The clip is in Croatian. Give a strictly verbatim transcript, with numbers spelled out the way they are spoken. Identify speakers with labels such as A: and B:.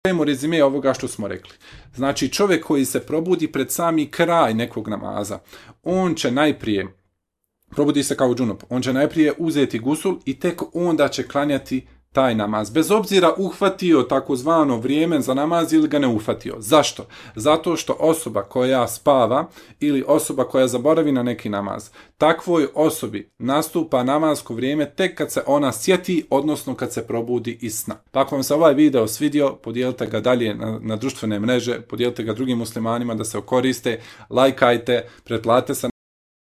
A: Dajemo rezime ovoga što smo rekli. Znači, čovjek koji se probudi pred sami kraj nekog namaza, on će najprije, probudi se kao džunup, on će najprije uzeti gusul i tek onda će klanjati taj namaz. Bez obzira uhvatio takozvano vrijeme za namaz ili ga ne uhvatio. Zašto? Zato što osoba koja spava ili osoba koja zaboravi na neki namaz, takvoj osobi nastupa namasko vrijeme tek kad se ona sjeti, odnosno kad se probudi iz sna. Pa ako vam se ovaj video svidio, podijelite ga dalje na, na društvene mreže, podijelite ga drugim muslimanima da se koriste, lajkajte, pretplatite se